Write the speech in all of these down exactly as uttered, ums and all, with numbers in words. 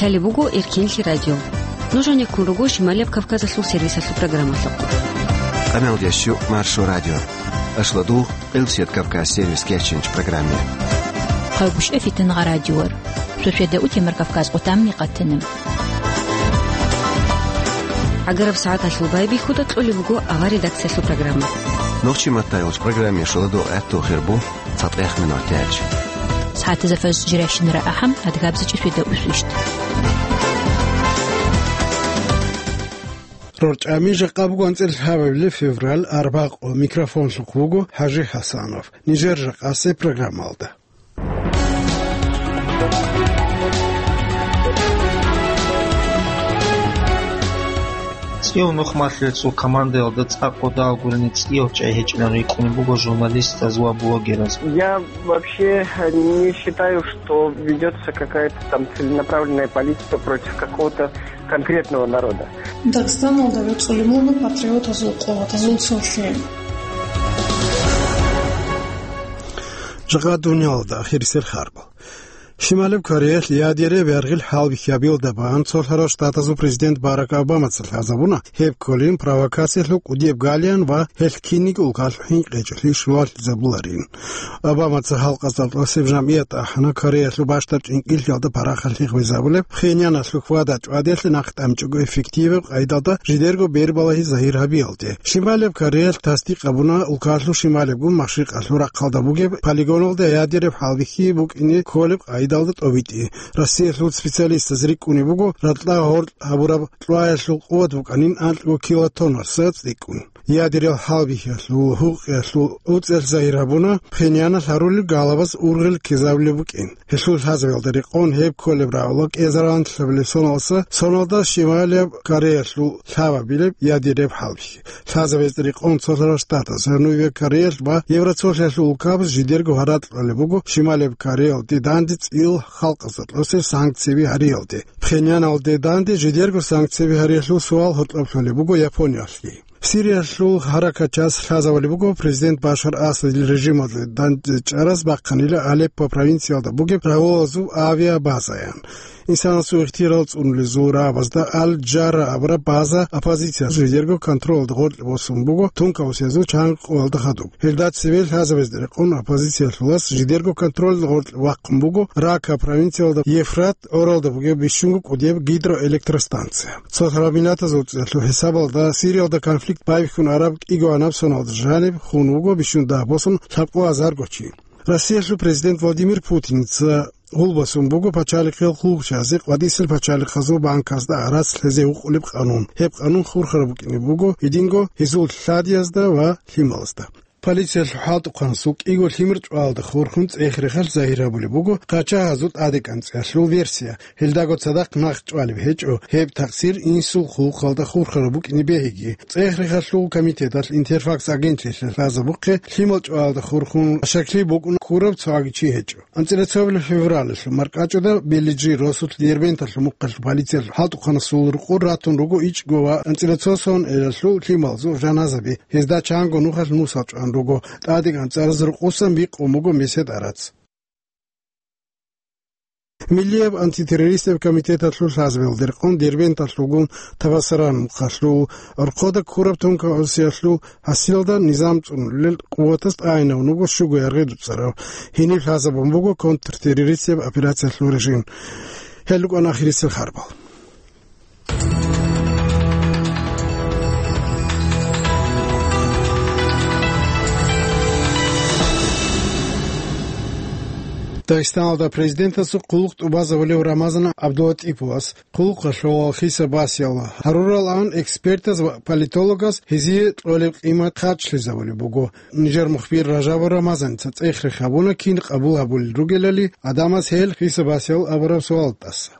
Лъалеб буго Эркенлъи радио. Нуж гьанеккун руго Шималияб Кавказалъул сервисалъул программалъухъ. Къамелдеш ю Маршо радио. Ашлодугъ Къилсият Кавказ сервис кечинч программе. Хъалбушев Фитнагъа радиор. Шошведа утемар Кавказ къутамни къатана. ГӀагараб сагӀаталъул байбихьуда кьолеб буго авар редакциялъул программа. Нохчи маттайолч программе шоладо гӀатту хирбу цатӀех минутач. СагӀатазда фаз жиращинара ахӀам, адгабзичӀи шведа усвищт. РорчӀами жакъа буго анцӀила лъабабилеб февраль, арбакъо. Микрофонлъухъ вуго ХӀажи ХӀасанов. Нижер жакъасе программалда. ЦӀияв нухмалъулел цо командаялда цӀакъ кӀодо гурени цӀияв чӀай гьечӀилан рикӀкӀунеб буго журналистаз ва блогераз. Я вообще не считаю, что ведётся какая-то там целенаправленная политика против какого-то конкретного народа. Дагъистаналда вецӀулеб буго патриотазул къуватазул цо лъим. Жакъа дуниялалда ахирисел харбал. Шималеб Кореялъ ядераб яргъил хӀалбихьабиялда бан цолъарал штатазул президент Барак Обамаца лъазабуна, гьеб кколин провокациялъул кӀудияб галаян ва гьелъ кинниги улкалъухъ хӀинкъичӀелъи щулалъизабуларин. Обамаца халкъазда тӀасеб жамгӀият ахӀана Кореялъул бащдаб чӀинкӀиллъиялда парахалъи гъвезабулеб, Пхеньяналъул хьвада-чӀвадиялъе нахъ тӀамичӀого эффективаб къайдалда жидерго бербалагьи загьир гьабиялде. Шималеб Кореялъ тасдикъ гьабуна улкалъул шималебгун машрикъалъул рахъалда бугеб полигоналда ядераб хӀалбихьи букӀине кколеб къайдалда тӀобитӀи. Россиялъул специалистаз рикӀкӀунеб буго, ракьа гъоркь гьабураб кьваялъул къуват букӀанин анкьго килотоннаса цӀикӀкӀун. Ядерал хӀалбихьиялъул гьукъиялъул уцӀел загьир гьабуна, Пхеньяналъ гьарулел галабаз ургъел ккезабулеб букӀин. Гьелъул лъазабиялда рекъон гьеб кколеб рагӀула кӀезаранлъабилеб соналдаса, соналда Шималияб Кореялъул лъабабилеб ядераб хӀалбихьи. Лъазабиялда рекъон цолъарал штатаз, Жанубияб Кореялъ ва Евроцолъиялъул улкабаз жидерго гьаракь кьолеб буго Шималияб Кореялде данде цӀил халкъазда тӀасел санкцияби гьариялде. Пхеньяналде данде жидерго санкцияби гьариялъул суал гьоркьоб лъолеб буго Япониялъги. Сириялъул гьаракатчияс лъазабулеб буго президент Башар Асадил режималда дандчӀвараз бахъанила Алеппо провинциялда бугеб рагьулазул авиабазаян. Инсанасул ихтияр цӀунулезул рагӀабазда Аль-Джарра абураб база оппозициялъул жидерго контролалда гъоркье босун буго тункаусиязул чанго къоялда хадуб. Гьелда цеве лъазабиялда рекъон оппозициялъулас жидерго контролалда гъоркье вахъун буго Рака провинциялда Ефрат гӀоралда бугеб бищунго кӀудияб гидроэлектростанция. Цо гьарминатазул цӀиялъул хӀисабалда Сириялда конфликт байбихьун араб кӀиго-анаб соналда жаниб хун вуго бищун дагь босун лъабкъо азарго чи. Россиялъул президент Владимир Путинца гъулбасун буго пачалихъил хъулухъчиязе къватӀисел пачалихъазул банказда гӀарац лъезе гьукъулеб къанун. Гьеб къанун хурхараб букӀине буго гьединго гьезул лъадиязда ва лъималазда. Полициялъул хӀалтӀухъанасул кӀиго лъимер чӀвалда хурхун цӀех-рехалъ загьир гьабулеб буго къачагьазул тӀадекӀанцӀиялъул версия. Гьелдаго цадахъ нахъ чӀвалеб гьечӀо, гьеб такъсир инсул хъулухъалда хурхараб букӀине бегьиги. ЦӀех-рехалъул комитеталъ Интерфакс агентлъилъа лъазабухъе, лъимал чӀвалда хурхун щаклъи букӀун ккураб цоги чи гьечӀо. АнцӀила цоабилеб февралалъул маркӀачӀуда Белиджи росулъ Дербенталъул мухъалъ полициялъул хӀалтӀухъанасул рукъур ратун руго ичӀго ва анцӀила цо соналъул лъималазул жаназаби. Гьезда чанго нухалъ мусал чӀван руго. ТӀадегӀан цӀараз рукъусан бикъун буго месед гӀарац. Миллияб антитеррористияб комитеталъул лъазабиялда рекъон Дербенталъулгун Табасаран мухъалъул рхъода ккураб тункаусиялъул гьасилалда низам цӀунулел къуватаз тӀагӀинавун вуго щуго яргъи дуцӀарав. Гьениб лъазабун буго контртеррористияб операциялъул режим. Гьел рукӀана ахирисел харбал. Дагъистаналда президентасул хъулухъ тӀубазабулев Рамазан ГӀабдулатӀиповас хъулухъалъул хисаб-басиял гьаруралан экспертаз ва политологаз гьезие кьолеб къимат хъачлъизабулеб буго. Нижер мухбир Ражабов Рамазаница цӀех-рех гьабуна кин къабул гьабулел ругелали гӀадамаз гьел хисаб-басиял абураб суалдаса.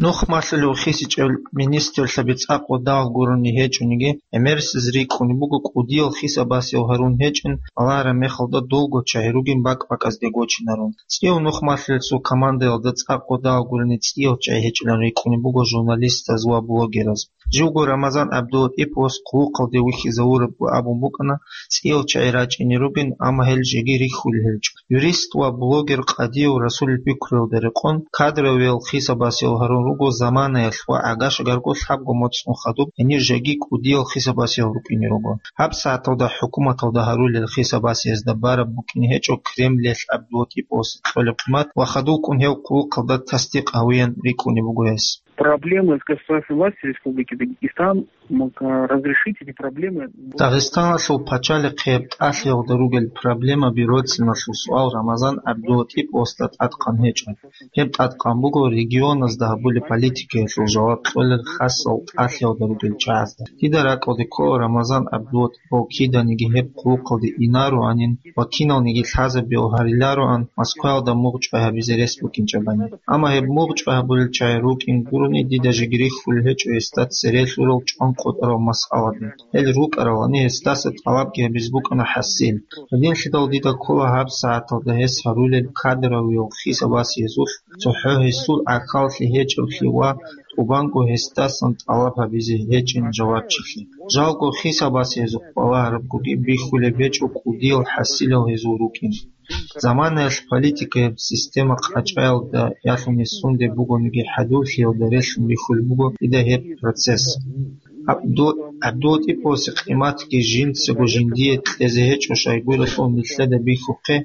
Нухмалъулев хисичӀел министрлъаби цӀакъ ва дагь гурони гьечӀониги, гӀемерисез рикӀкӀунеб буго кӀудиял хисаб-басиял гьарун гьечӀин, балагьараб мехалда долго чагьи ругин бакӀ-бакӀазде гочинарун. ЦӀияв нухмалъулел цо командаялда цӀакъ ва дагь гурони цӀиял чӀай гьечӀилан рикӀкӀунеб буго журналистаз ва блогераз. Живго Рамазан ГӀабдулатӀиповас хъулухъалде вихьизавурабго абун букӀана, цӀиял чагӀи рачӀине ругин, амма гьел жеги рихьулел гьечӀо. Юрист ва блогер Къадиев Расулил пикруялда рекъон, кадровиял хисабасиял гьарун руго заманаялъ ва гӀагашагарго лъабго моцӀ хадуб, гьенир жеги кӀудиял хисабасиял рукӀине руго. ГьабсагӀаталда хӀукуматалда гьарулел хисабасиязда бараб букӀине гьечӀо Кремлиялъ ГӀабдулатӀиповасе кьолеб къимат ва хадубкӀун гьев хъулухъалда тасдикъ гьавеян рикӀкӀунеб буго гьес. Проблемы с государственной властью Республики Дагестан мог, а, разрешить эти проблемы. Дагъистаналъул пачалихъияб тӀалъиялда ругел проблемаби роциналъул суал Рамазан ГӀабдулатӀиповасда тӀадкъан гьечӀо. Гьеб тӀадкъан буго регионазда гьабулеб политикаялъул жаваб кьолел хасал тӀалъиялда ругел чагӀазда. Дида ракӀалде ккола Рамазан ГӀабдулатӀипов киданиги гьеб хъулухъалде инароанин ва киналниги лъазабиялъ гьарилароан Москваялда мугъ чӀвай гьабизе рес букӀинчӀебани. Амма гьеб мугъ чӀвай гьабулел чагӀи рукӀин гурони, дида жеги рихьулел гьечӀо гьесда цере лъурал чӀван къотӀарал масъаладе. Гьел рукӀаралани, гьесдаса тӀалабги гьабизе букӀана хӀасил. Гьединлъидал дида ккола гьабсагӀаталда гьес гьарулел кадровиял хисабасиязулъ цохӀо гьесул гӀахьаллъи гьечӀеблъи ва тӀубанго гьесдасан тӀалаб гьабизе гьечӀин жавабчилъи. Жалго хисабасиязухъ балагьарабгоги бихьулеб гьечӀо кӀудиял хӀасилал гьезул рукӀин. Заманаялъ политикаяб система къачӀаялда ялъуни сунде бугониги хӀадурлъиялда релълъун бихьулеб буго дида гьеб процесс. ГӀабду-, ГӀабдулатӀиповасе къиматги жинцаго жиндие кьезе гьечӀо, щайгурелъул нилъеда бихьухъе,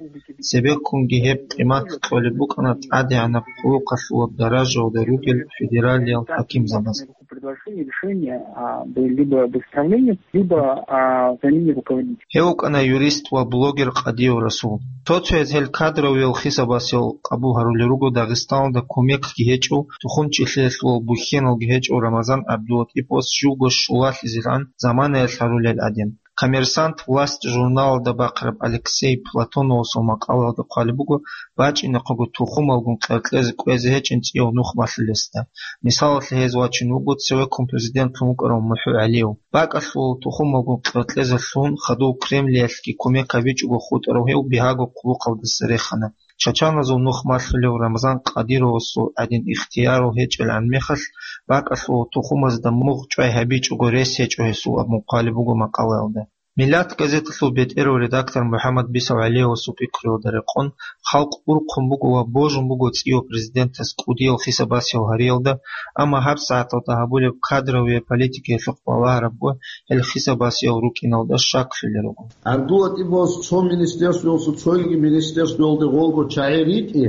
цебеккунги гьеб къимат кьолеб букӀана тӀадегӀанаб хъулухъалъула даражаялда ругел федералиял хӀакимзабаз. Предложение, решение, а, б-, либо об отставлении, либо о замене руководителя. Гьев вукӀана юрист ва блогер Къадиев Расул. Цо-цояз гьел кадровиял хисабасиял къабул гьарулел руго Дагъистаналда кумекги гьечӀев, тухумчилъиялъул бухьеналги гьечӀев Рамазан ГӀабдулатӀиповас живго щулалъизегӀан заманаялъ гьарулел гӀадин. «Коммерсант», «Власть» журналалда бахъараб Алексей Платоновасул макъалаялда хъвалеб буго, бачӀинахъего тухумалгун къеркьезе кӀвезе гьечӀин цӀияв нух малъулесда. Мисалалъе гьез вачин вуго цевеккун президентлъун вукӀарав МухӀу ГӀалиев. БакӀалъула тухумалгун къеркьезелъун хадув Кремлиялъги кумек гьабичӀого хутӀарав гьев бигьаго хъулухъалдаса рехана. Чачаназул нух малъулев Рамазан Къадировасул гӀадин ихтиярал гьечӀелгӀан мехалъ, бакӀалъула тухумазда мугъ чӀвай гьабичӀого рес гьечӀо гьесул абун хъвалеб буго макъалаялда. «Миллат» газеталъул бетӀерав редактор МухӀаммад Бисав ГӀалиевасул пикруялда рекъон, халкъ урхъун буго ва божун буго цӀияв президентас кӀудиял хисабасиял гьариялда, амма гьабсагӀаталда гьабулеб кадровиял политикаялъухъ балагьарабго гьел хисабасиял рукӀиналда щаклъулел руго. ГӀабдулатӀиповас цо министерствоялъул цоги министерствоялде гъолго чагӀи ритӀи,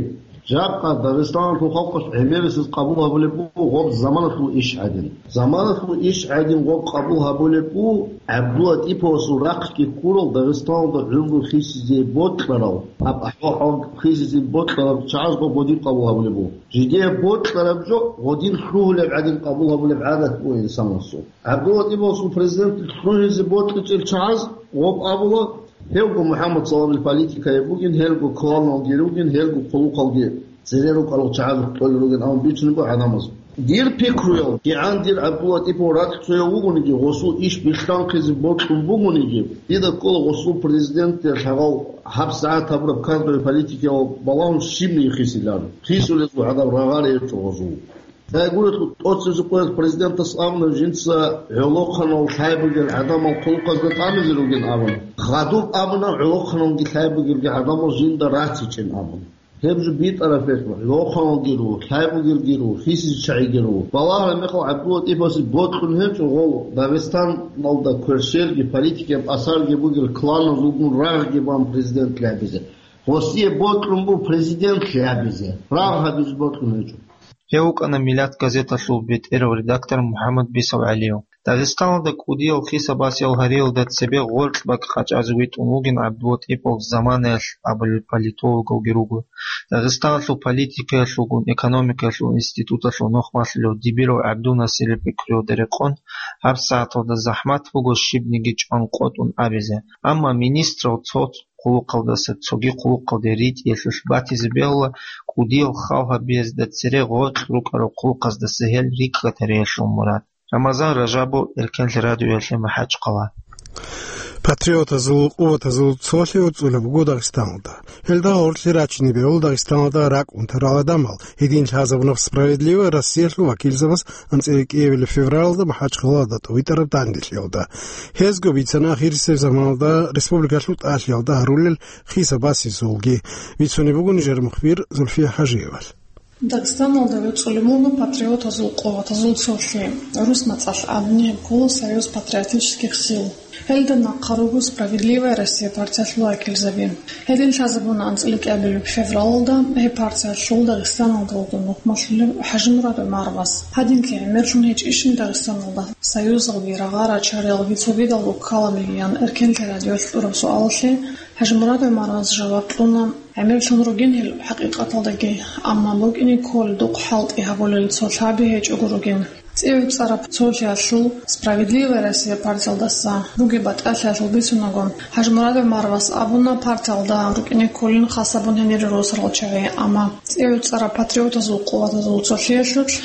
жакъа Дагъистаналъул халкъалъ гӀемерисез къабул гьабулеб буго гъоб заманалъул иш гӀадин. Заманалъул иш гӀадин гъоб къабул гьабулеб буго ГӀабдулатӀиповасул рахъги ккурал Дагъистаналда гӀумру хисизе бокьарал, гьаб ахӀвал-хӀал хисизе бокьарал чагӀаз гъоб гъодин къабул гьабулеб буго. Жидее бокьараб жо гъодин лъугьулеб гӀадин къабул гьабулеб гӀадат буго инсанасул. ГӀабдулатӀиповасул президент лъугьизе бокьичӀел чагӀаз гъоб абула, гьевго МухӀаммад Саламил политикаяб бугин, гьелго кланалги ругин, гьелго хъулухъалги цере рукӀарал чагӀазухъ кьолел ругин абун бицунеб буго гӀадамаз. Дир пикруялъ, кигӀан дир ГӀабдулатӀипов ракӀцояв вугониги, гъосул иш бихьанхъизе бокьун бугониги, дида ккола гъосул президентде лъагъал гьабсагӀат гьабураб кадровый политикаялъ балагьун щибниги хисилан. Хисулезул гӀадаб рагъари гьечӀо гъозул. Гьайгурелъул тӀоцебесеб къоялъ президентас абуна жинца гӀолохъанал лъай бугел гӀадамал хъулухъазда тӀамизе ругин абун. Хадуб абуна гӀолохъаналги лъай бугелги гӀадамал жинда ратичӀин абун. Гьеб жо битӀараб гьечӀо, гӀолохъаналги руго, лъай бугелги руго, хисизе чагӀиги руго. Балагьараб мехалъ ГӀабдулатӀипасе бокьун гьечӀо гъов Дагъистаналда кверщелги, политикияб асарги бугел кланазулгун рагъги бан президент лъабизе. Гъосие бокьун буго президент лъабизе. Рагъ гьабизе бокьун гьечӀо. Гьев вукӀана «Миллат» газеталъул бетӀерав редактор МухӀаммад Бисав ГӀалиев. Дагъистаналда кӀудиял хисабасиял гьариялда цебе гъоркь бакӀ къачӀазе витӀун вугин ГӀабдулатӀипов заманаялъ абулел политологалги руго. Дагъистаналъул политикаялъулгун экономикаялъул институталъул нухмалъулев Дибиров ГӀабдул-Насирил пикруялда рекъон, гьабсагӀаталда захӀмат буго щибниги чӀван къотӀун абизе. Амма министрал цо хъулухъалдаса цоги хъулухъалде ритӀиялъулъ батизе бегьула кӀудиял хал гьабиязда цере гъоркь рукӀарал хъулухъаздаса гьел рикӀкӀад гьариялъул мурад. Рамазан Ражабов, Эркенлъи радиоялъе МахӀачхъала. Патриотазул къуватазул цолъи уцӀулеб буго Дагъистаналда. Гьелда гъорлъе рачине бегьула Дагъистаналда ракӀ унтарал гӀадамал, гьедин лъазабуна «Справедливая Россиялъул» вакилзабаз анцӀила кӀиабилеб февралалда МахӀачхъалада тӀовитӀараб данделъиялда. Гьезго бицана ахирисеб заманалда республикалъул тӀалъиялда гьарулел хиса-басизулги. Бицунеб буго нижер мухбир Зульфия ХӀажиевал. Дагъистаналда вецӀулеб буго патриотазул къуватазул цолъи, рус мацӀалъ абуни гьеб ккола Союз патриотических сил. Гьелда нахъа руго «Справедливая Россия» партиялъул вакилзаби. Гьедин лъазабуна анцӀила кӀиабилеб февралалда гьеб партиялъул Дагъистаналда вугев нухмалъулев ХӀажимурад ГӀумаровас. Гьадинлъи гӀемерлъун гьечӀищин Дагъистаналда союзалги, рагъа-рачариялги, цогидал руккалабиги? – ян эркенлъи радиоялъ кьураб суалалъе ХӀажимурад ГӀумаровас жаваб кьуна: «ГӀемерлъун ругин гьел хӀакъикъаталдаги, амма букӀине кколел духъ хӀалтӀи гьабулел цо лъаби гьечӀого ругин». ЦӀи гӀуцӀараб цолъиялъул «Справедливая Россия» партиялдаса бугеб батӀалъиялъул бицунаго, ХӀажимурад ГӀумаровас абуна, партиялда рукӀине кколин хасабун гьенире росарал чагӀи, амма цӀи гӀуцӀараб патриотазул къуватазул цолъиялъулъ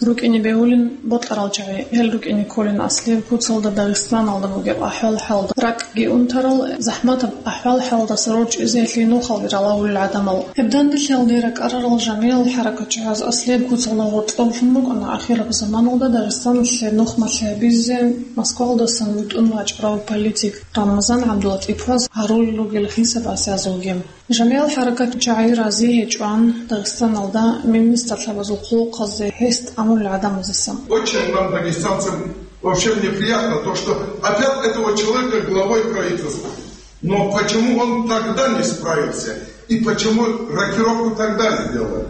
рукӀине бегьулин бокьарал чагӀи, гьел рукӀине кколин аслияб куцалда Дагъистаналда бугеб ахӀвал-хӀалда, ракӀги унтарал, захӀматаб ахӀвал-хӀалдаса рорчӀизе гьелъие нухалги ралагьулел гӀадамал. Гьеб данделъиялде ракӀарарал жамигӀал хӀаракатчагӀаз аслияб куцалда гъоркьоб лъун букӀана ахираб заманалда Дагъистаналъе нухмалъи гьабизе Москваялдасан витӀун вачӀарав политик Рамазан ГӀабдулатӀиповаз гьарулел ругел хиса-басиязулги. ЖамигӀал хӀаракатчагӀи рази гьечӀоан Дагъистаналда министрлъабазул хъулухъазде гьес тӀамулел гӀадамаздасан. Очень нам, дагестанцам, вообще неприятно то, что опять этого человека главой правительства. Но почему он тогда не справился? И почему рокировку тогда сделали?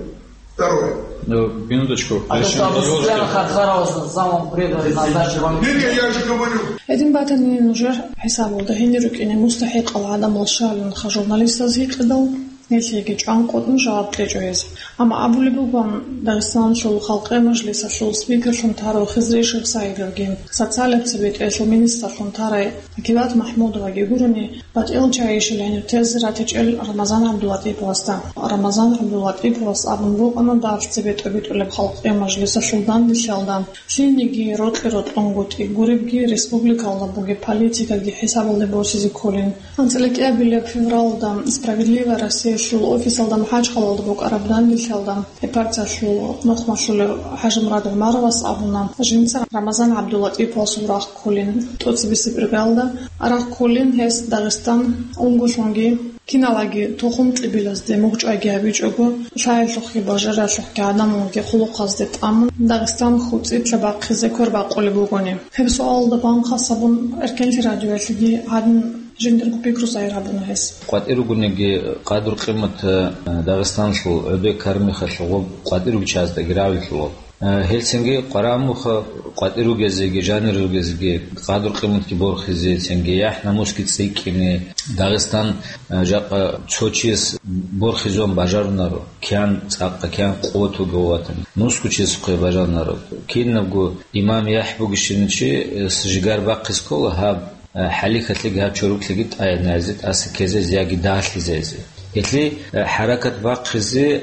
Второе. Ну, минуточку. А то, что Абусуфьяна Хархарауза замом преданный назначил вам. Не, не, я же говорю. Гьедин батани нужер хӀисабалда гьенир рукӀине мустахӀикъал гӀадамал щалин ха журналистаз гьикъидал, гьелъиеги чӀванкъотӀун жаваб кьечӀо гьез. Амма абулеб бугоан, Дагъистаналъул Халкъи Мажлисалъул спикерлъун тарав Хизри Шихсаидовги, социалияб цебетӀелъул министрлъун тарай Пакилат МахӀмудоваги гурони, батӀиял чагӀи щиб гьениб тезе ратичӀел Рамазан ГӀабдулатӀиповасда. Рамазан ГӀабдулатӀиповас абун букӀана дагьалъ цебе тӀобитӀулеб Халкъи Мажлисалъул данделъиялда, лъилниги рокьи-рокьунго тӀиб гуребги республикалда бугеб политикаги хӀисабалде босизе кколин. АнцӀила кӀиабилеб февралда «Справедливая Россиялъул» офисалда МахӀачхъалалда букӀараб данделъиялда гьеб партиялъул нухмалъулев ХӀажимурад ГӀумаровас абуна, жинца Рамазан ГӀабдулатӀиповасул рагъ кколин, тӀоцебесеб иргаялда рагъ кколин гьес Дагъистан унголъунги, киналаги тухум-кьибилазде мугъчӀвайги гьабичӀого, лъаялъухъги бажаралъухъги гӀадамалги хъулухъазде тӀамун, Дагъистан хуцӀитлъи бахъизе квер бакъулеб бугони. Гьеб суалалда бан хасабун эркенлъи радиоялъеги гьадин жиндирго пикру загьир гьабуна гьес. КъватӀир ругониги, къадру-къимат, э, Дагъистанлъул гӀодой кармихалъ гъоб къватӀир ругел чагӀаздаги равилъула. Э, гьелцинги къварагӀмуха къватӀир ругезеги, жанир ругезеги, къадру-къиматги борхизе, цинги яхӀ-намусги цӀикӀкӀине. Дагъистан, э, жакъа цо чияс борхизун бажарунаро, киян цӀакъа, киян къуват вугев ватани, нусго чиясухъе бажарунаро. Кинабго имам яхӀ бугищинав чи, э, с-, жигар бахъизе ккола гьаб, э, хӀалихьалъиги гьаб чорокалъиги тӀаянайзе, тӀаса ккезайзе яги дагьлъизайзе. Гьелъие, э, хӀаракат бахъизе, э,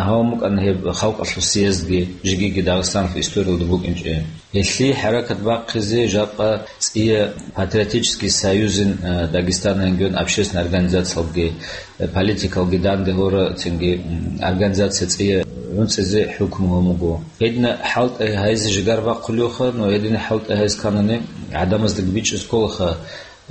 гьавун букӀана гьеб халкъалъул съездги, жеги-жеги Дагъистаналъул историялда букӀинчӀеб. Гьелъие хӀаракат бахъизе жакъа цӀия патриотический союзин, э, Дагестана регион общественный организациялги, э, политикалги данде гьора, цинги, м, организация цӀия гӀунцӀизе хӀукму гьабун буго. Гьедина хӀалтӀи гьайзе жигар бахъулевха, но гьедина хӀалтӀи гьайз канани гӀадамаздаги бичӀчӀизе кколаха,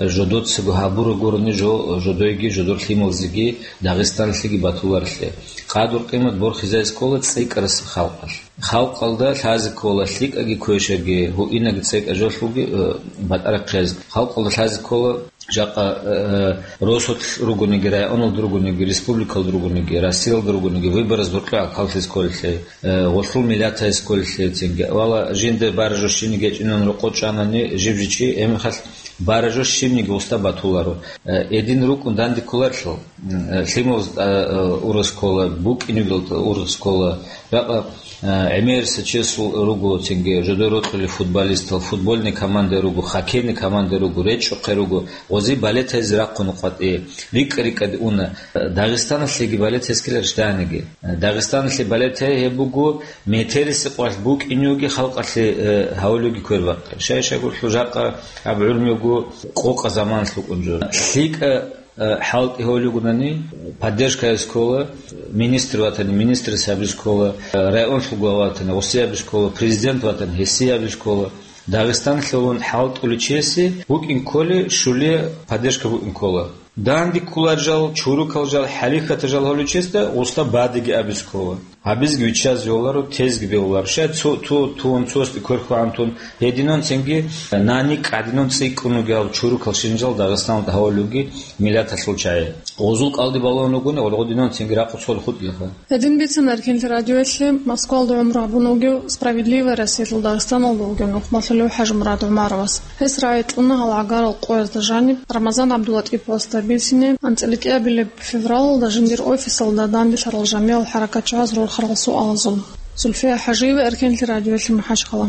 жодоцаго гьабураб гурони жо-, жодойги, жодор лъималзеги, Дагъистаналъеги батуларелъи. Къадру-къимат борхизайзе ккола цӀикӀкӀарасеб халкъалъ. Халкъалда лъазе ккола лъикӀаги квешаги, гьуинаги цӀекӀа жолъулги, э, батӀа рахъизе. Халкъалда лъазе ккола жакъа, э, росулъ ругониги, районалда ругониги, республикалда ругониги, Россиялда ругониги, выбораз гьоркьоб гӀахьаллъизе кколелъи, э, гъолъул миллатайзе кколелъи цинги. Вала жинда баражо щибниги гьечӀинан рокъов чӀанани, жиб-жиб чи, гьеб мехалъ баражо щибниги устӀа батуларо. Э, гьедин рукӀун данде кколарелъул, м, э, лъималаз, э, э, ургъизе ккола, букӀинеблъун ургъизе ккола. Жакъа, э, гӀемерисев чиясул руго цинги, жодор рокьулел футболистал, футбольный команда руго, хоккейный команда руго, речӀчӀухъе руго, гъози балетайзе рахъун къватӀи, рикӀкӀа-рикӀкӀаде уна. Дагъистаналъеги балетайзе ккеларищ дагьаниги? Дагъистаналъе балетай гьеб буго, метерисеб къвалъ букӀинеги халкъалъе, э, гьавулеги квер бахъи. Щай-щай гурлъу жакъа аб гӀурмияб Къокъа заманалъ вукӀун жо. ЛъикӀа, э, хӀалтӀи гьолюгунани, поддержка ккола, министр ватани, министрас гьабиз ккола, э, районлъул глава ватани, гъосе гьабиз ккола, президент ватани, гьесие гьабиз ккола. Дагъистанлъулун хӀалтӀуличиясе букӀин кколи, щулие поддержка букӀин ккола. Данде кколар жал, чурукал жал, хӀалихьата жал гьоличиясда гъуста бадиги абиз ккола. Гьабизги виччазе гьоларо, тезги бегьуларо. Щай цо, ту, тун, цосги кверхугӀан тун, гьединан цинги нани кӀадинан цӀикӀкӀун вугев чурукал шинжал Дагъистаналда гьавалуги миллаталъул чагӀи. Гъозул кӀалди балагьун вугони, гъоргъодинан цинги рахъу цо хутӀилаха. Гьедин бицана Эркенлъи радиоялъе Москвалда гӀумру гьабун вугев, «Справедливая Россиялъул» Дагъистаналда вугев нухмалъулев ХӀажимурад ГӀумаровас. Гьес рагӀи кьуна гьал гӀагарал къоязда жаниб Рамазан ГӀабдулатӀиповасда бицине, анцӀила кӀиабилеб февралалда жиндир офисалда данделъарал жамигӀал хӀаракатчагӀаз рорхарал суалазул. Зульфия ХӀажиева, Эркенлъи радиоялъе, МахӀачхъала.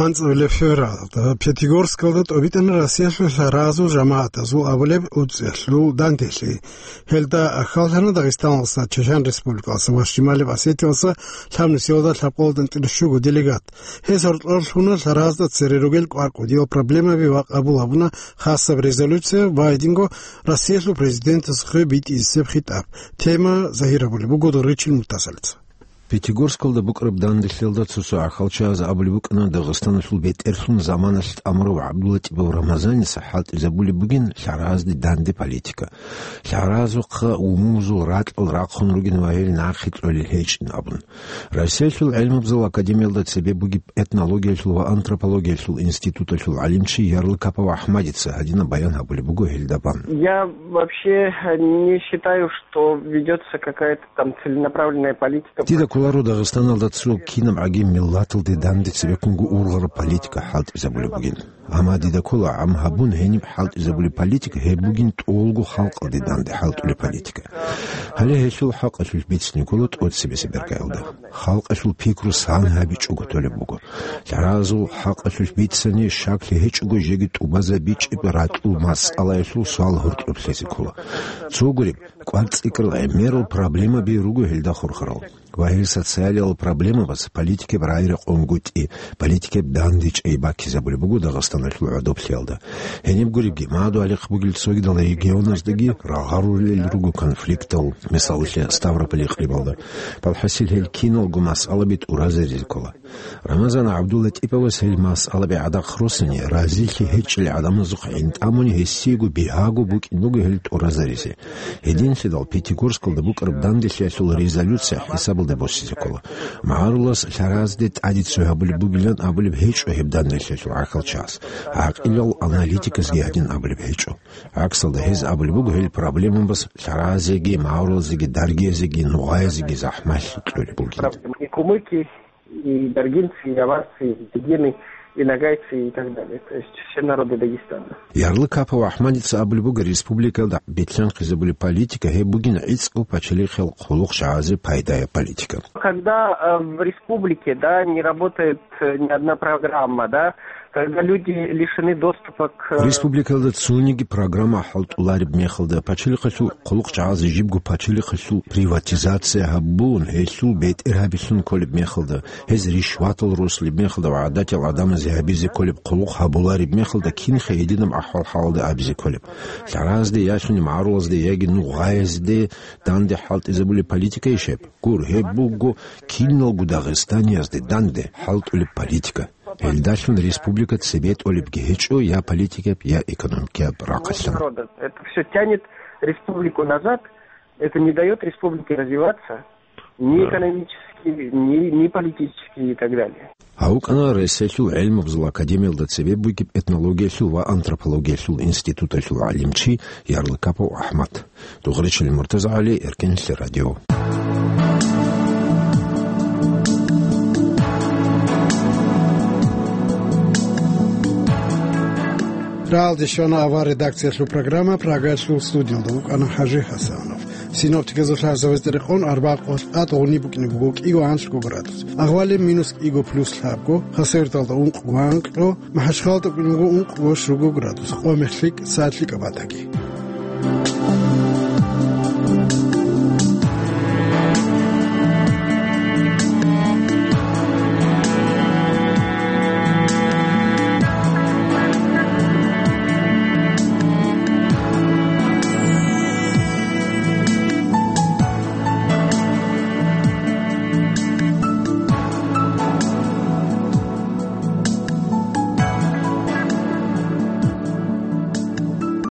АнцӀила февралалда Пятигорскалда тӀобитӀана Россиялъул лъаразул жамагӀатазул абулеб уцӀиялъул данделъи. Гьелда ахаллъана Дагъистаналдаса, Чечен Республикалдаса ва Шималияб Осетиялдаса лъабнусиялда лъабкъоялда анцӀила щуго делегат. Гьез гьоркьор лъуна лъаразда цере ругел кӀвар-кӀудиял проблемаби ва къабул гьабуна хасаб резолюция ва гьединго Россиялъул президентас хве битӀизесеб хитӀаб. Тема загьир гьабулеб буго Доричил Муртазалица. Пятигорскалда букӀараб данделъиялда цо-цо ахалчагӀаз абулеб букӀана Дагъистаналъул бетӀерлъун заманалъ тӀамурав ГӀабдулатӀипов Рамазаница хӀалтӀизабулеб бугин лъаразде данде политика. Лъаразухъа умумузул ракьал рахъун ругин ва гьел нахъе кьолел гьечӀин абун. Россиялъул гӀелмабазул академиялда цебе бугеб этнологиялъул ва антропологиялъул институталъул гӀалимчи Ярлыкапов АхӀмадица гьадинаб баян гьабулеб буго гьелда бан. Я вообще не считаю, что ведётся какая-то там целенаправленная политика. Дида кколаро Дагъистаналда цо кинаб гӀаги миллаталде данде цебеккунго ургъараб политика хӀалтӀизабулеб бугин. Амма дида ккола гӀам гьабун гьениб хӀалтӀизабулеб политика гьеб бугин тӀолго халкъалде данде хӀалтӀулеб политика. Гьале гьелъул хӀакъалъулъ бицине ккола тӀоцебесеб иргаялда. Халкъалъул пикру сан гьабичӀого толеб буго. Лъаразул хӀакъалъулъ бицани, щаклъи гьечӀого жеги тӀубазабичӀеб ракьул масъалаялъул суал гьоркьоб лъезе ккола. Цо гуреб, кӀвар-цӀикӀкӀарал гӀемерал проблемаби руго гьелда хурхарал. Ва гьел социалиял проблемабаз политикаб рагӀи-рекъон гутӀи, политикаб данде чӀей баккизабулеб буго Дагъистаналъул гӀодоблъиялда. Гьениб гуребги, мадугьалихъ бугел цогидал регионаздаги рагъарулел руго конфликтал, мисалалъе, Ставрополь икълибалда. Балхасил гьел киналго масъалаби тӀуразаризе ккола. Рамазан ГӀабдуллатӀиповас гьел масъалаби гӀадахъ росани, разилъи гьечӀел гӀадамазухъ гӀинтӀамуни гьесиего бигьаго букӀин буго гьел тӀуразаризе. Гьединлъидал Пятигорскалда букӀараб данделъиялъул резолюция хӀисабалда босизе ккола. МагӀарулас лъаразде тӀаде цо гьабулеб бугилан абулеб гьечӀо гьеб данделъиялъул гӀахьалчагӀаз. ГӀакъилал аналитиказги гьадин абулеб гьечӀо. ГӀаксалда гьез абулеб буго гьел проблемабаз лъаразеги, магӀарулазеги, даргиязеги, нугъаязеги захӀмалъи кьолеб бугин. И кумыки, и даргинцы, и аварцы, и дигены, и ногайцы, и так далее. То есть все народы Дагестана. Ярлыкапов АхӀмадица абулеб буго, республикалда бетӀерхъизабулеб политика гьеб бугин гӀицӀго пачалихъал хъулухъ чагӀазе пайдаяб политика. Когда, э, в республике, да, не работает, э, ни одна программа, да, когда люди лишены доступа к... Республикалда цониги программа хӀалтӀулареб мехалда, пачалихъалъул хъулухъ чагӀазе жибго пачалихъалъул приватизация гьабун, гьелъул бетӀер гьабилъун кколеб мехалда, гьез ришватал росулеб мехалда ва гӀадатиял гӀадамазе гьабизе кколеб хъулухъ гьабулареб мехалда, кинха гьединаб ахӀвал-хӀалалда абизе кколеб? Лъаразде, ялъуни магӀарулазде яги нугъаязде данде хӀалтӀизабулеб политика ишеб? Гур, гьеб буго киналго дагъистаниязде данде хӀалтӀулеб политика. Гьелдалъун республика цебе тӀолебги гьечӀо я политикаб, я экономикияб рахъалъан. Народа. Это всё тянет республику назад, это не даёт республике развиваться ни... Да. Экономически, ни, ни политически и так далее. Гьав вукӀана Россиялъул гӀелмабазул академиялда цебе бугеб этнологиялъул ва антропологиялъул институталъул гӀалимчи Ярлыкапов АхӀмад. Дугъричил МуртазагӀали, Эркенлъи радио. Рагьалде щвана авар редакциялъул программа, Прагалъул студиялда вукӀана ХӀажи ХӀасанов. Синоптиказул лъазавазде рекъон, арбякъулъ тӀад гъуни букӀине буго кӀиго-анлъго градус. Агъвалеб минус кӀиго плюс лъабго, Хасавюрталда ункъго-анкьго, МахӀачхъалаялда букӀине буго ункъго-щуго градус, къо-мех лъикӀ, сад лъикӀаб батаги.